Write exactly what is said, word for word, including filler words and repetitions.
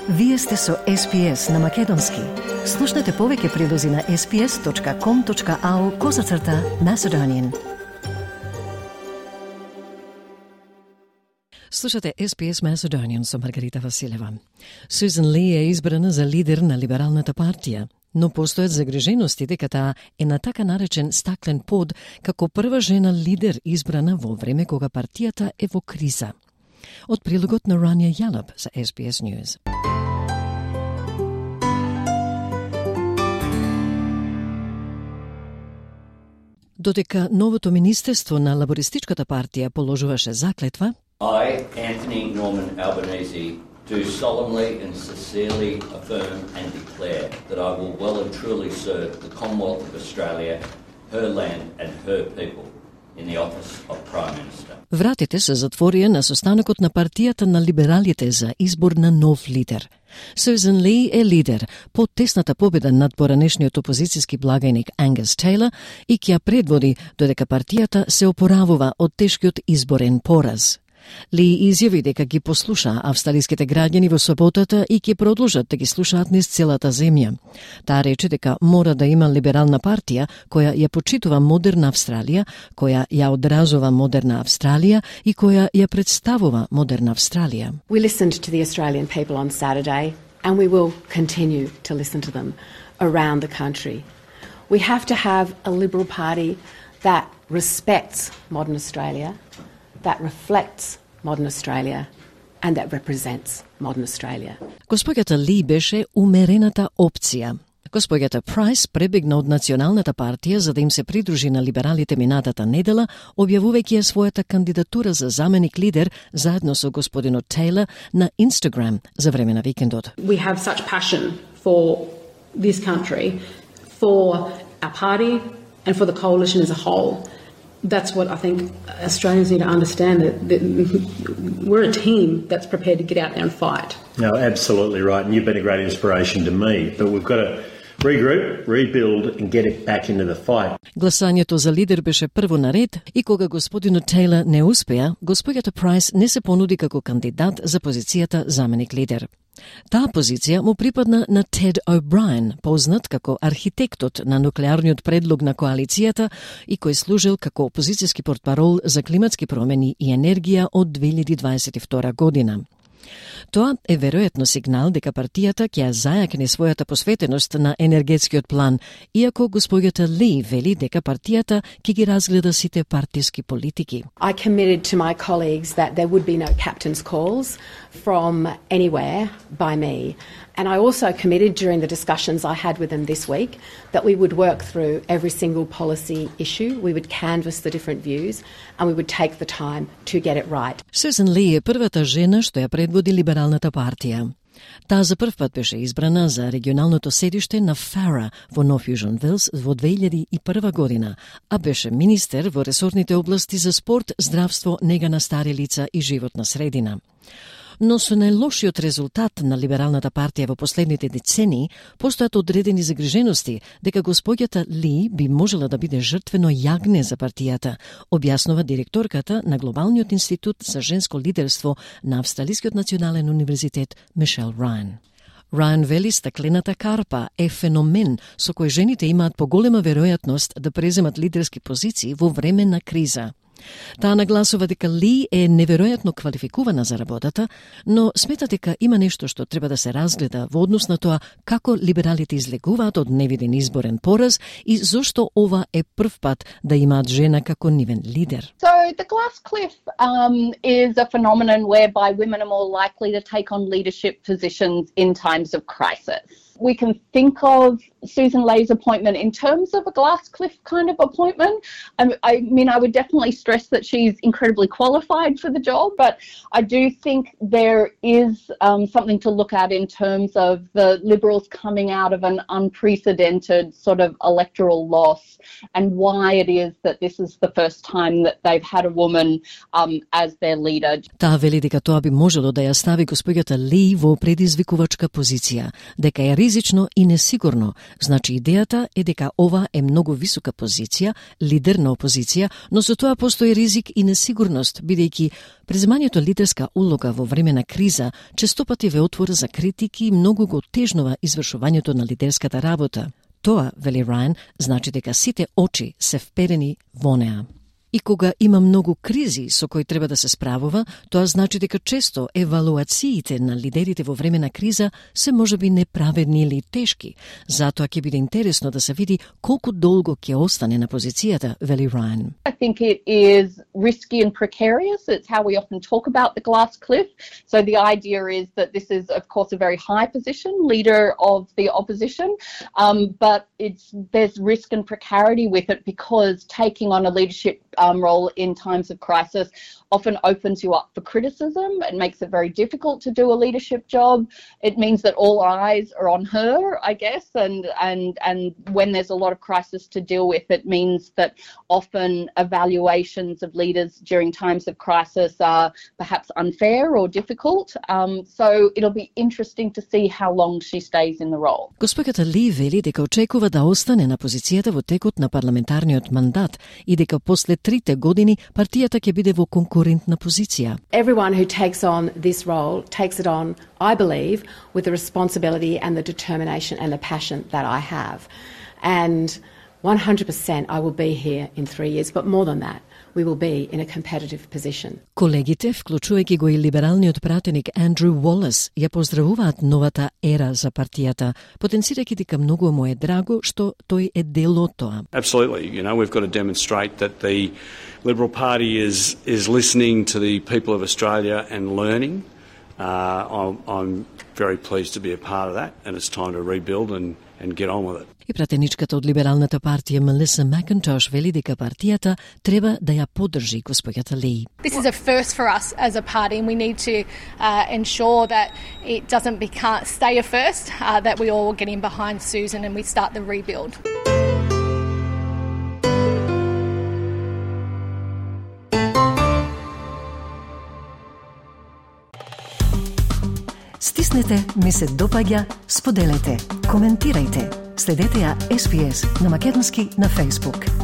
Вие сте со Ес Би Ес на Македонски. Слушнете повеќе прилози на ес би ес точка ком точка ау козацрта Macedonian. Слушате Ес Би Ес Macedonian со Маргарита Василева. Сюзан Ли е избрана за лидер на Либералната партија, но постојат загрижености дека таа е на така наречен стаклен под како прва жена лидер избрана во време кога партијата е во криза. Од прилогот на Рания Јалаб за Ес Би Ес News. Додека новото министерство на лабористичката партија положуваше заклетва, I, Anthony Norman Albanese, do solemnly and sincerely affirm and declare that I will well and truly serve the Commonwealth of Australia, her land and her people in the office of Prime Minister. Вратите се затворија на состанокот на партијата на либералите за избор на нов лидер. Сюзан Ли е лидер по тесната победа над поранешниот опозицијски благајник Ангус Тейлор и ќе ја предводи додека партијата се опоравува од тешкиот изборен пораз. Ли изјави дека ги послуша австралиските граѓани во саботата и ќе продолжат да ги слушаат низ целата земја. Таа рече дека мора да има либерална партија која ја почитува модерна Австралија, која ја одразува модерна Австралија и која ја представува модерна Австралија. We listened to the Australian people on Saturday and we will continue to listen to them around the country. We have to have a Liberal Party that respects modern Australia, that reflects modern Australia and that represents modern Australia. Господјата Ли беше умерената опција. Господјата Прайс пребегна од Националната партија за да им се придружи на либералите минатата недела, објавувајќи ја својата кандидатура за заменик лидер заедно со господинот Тейлор на Инстаграм за време на викендот. We have such passion for this country, for our party and for the coalition as a whole. That's what I think Australians need to understand, that, that we're a team that's prepared to get out there and fight. No, absolutely right, and you've been a great inspiration to me, but we've got to regroup, rebuild and get it back into the fight. Гласањето за лидер беше прво на ред и кога господинот Тейлор не успеа, господјата Прайс не се понуди како кандидат за позицијата заменик лидер. Таа позиција му припадна на Тед О'Брајен, познат како архитектот на нуклеарниот предлог на коалицијата и кој служил како опозицијски портпарол за климатски промени и енергија од две илјади дваесет и втора година. Тоа е веројатно сигнал дека партијата ќе ја зајакне својата посветеност на енергетскиот план, иако господјата Ли вели дека партијата ќе ги разгледа сите партиски политики. I committed to my colleagues that there would be no captain's calls from anywhere by me. And I also committed during the discussions I had with them this week that we would work through every single policy issue, we would canvass the different views and we would take the time to get it right. Сюзан Ли е првата жена што ја предводи либералната партија. Таа за прв пат беше избрана за регионалното седиште на Фара во Нов Јужен Велс во две илјади и прва година, а беше министер во ресорните области за спорт, здравство, нега на стари лица и животна средина. Но со најлошиот резултат на либералната партија во последните децении, постојат одредени загрижености дека господјата Ли би можела да биде жртвено јагне за партијата, објаснува директорката на Глобалниот институт за женско лидерство на Австралискиот национален универзитет Мишел Рајан. Рајан вели стаклената карпа е феномен со кој жените имаат поголема веројатност да преземат лидерски позиции во време на криза. Таа нагласува дека Ли е неверојатно квалификувана за работата, но смета дека има нешто што треба да се разгледа во однос на тоа како либералите излегуваат од невиден изборен пораз и зошто ова е прв пат да имаат жена како нивен лидер. So the glass cliff um, is a phenomenon whereby women are more likely to take on leadership positions in times of crisis. We can think of Susan Lay's appointment in terms of a glass cliff kind of appointment. I, I mean, I would definitely stress that she's incredibly qualified for the job, but I do think there is um, something to look at in terms of the Liberals coming out of an unprecedented sort of electoral loss and why it is that this is the first time that they've had a woman um, as their leader. Таа вели дека тоа би можело да ја стави господјата Ли во предизвикувачка позиција, дека ја ризично и несигурно. Значи идејата е дека ова е многу висока позиција, лидер на опозиција, но со тоа постои ризик и несигурност, бидејќи преземањето лидерска улога во време на криза честопати ве отвора за критики и многу го тежнува извршувањето на лидерската работа. Тоа, вели Рајан, значи дека сите очи се вперени во неа. И кога има многу кризи со кои треба да се справува, тоа значи дека често евалуациите на лидерите во време на криза се можеби неправедни или тешки. Затоа ќе биде интересно да се види колку долго ќе остане на позицијата, вели Рајан. I think it is risky and precarious. It's how we often talk about the glass cliff. So the idea is that this is, of course, a very high position, leader of the opposition, um, but it's there's risk and precarity with it because taking on a leadership um, role in times of crisis often opens you up for criticism. It makes it very difficult to do a leadership job. It means that all eyes are on her, I guess, and and and when there's a lot of crisis to deal with, it means that often evaluations of leaders during times of crisis are perhaps unfair or difficult. Um, so it'll be interesting to see how long she stays in the role. Госпоѓата Ли вели дека очекува да остане на позицијата во текот на парламентарниот мандат и дека после трите години партијата ќе биде во конкурентна позиција. Everyone who takes on this role takes it on, I believe, with the responsibility and the determination and the passion that I have. And one hundred percent I will be here in three years, but more than that, we will be in a competitive position. Колегите, вклучувајќи го и либералниот пратеник Андрю Уолес, ја поздравуваат новата ера за партијата, потенцирајќи дека многу му е драго што тој е дел од тоа. Absolutely, you know, we've got to demonstrate that the Liberal Party is is listening to the people of Australia and learning. Uh, I'm, I'm very pleased to be a part of that, and it's time to rebuild and and get on with it. И пратеничката од либералната партија Мелиса Макинтош вели дека партијата треба да ја поддржи госпоѓата Ли. This is a first for us as a party, and we need to uh, ensure that it doesn't become, stay a first, uh, that we all get in behind Susan and we start the rebuild. Стиснете, ми се допаѓа, споделете, коментирајте. Следете ја Ес Би Ес на македонски на Facebook.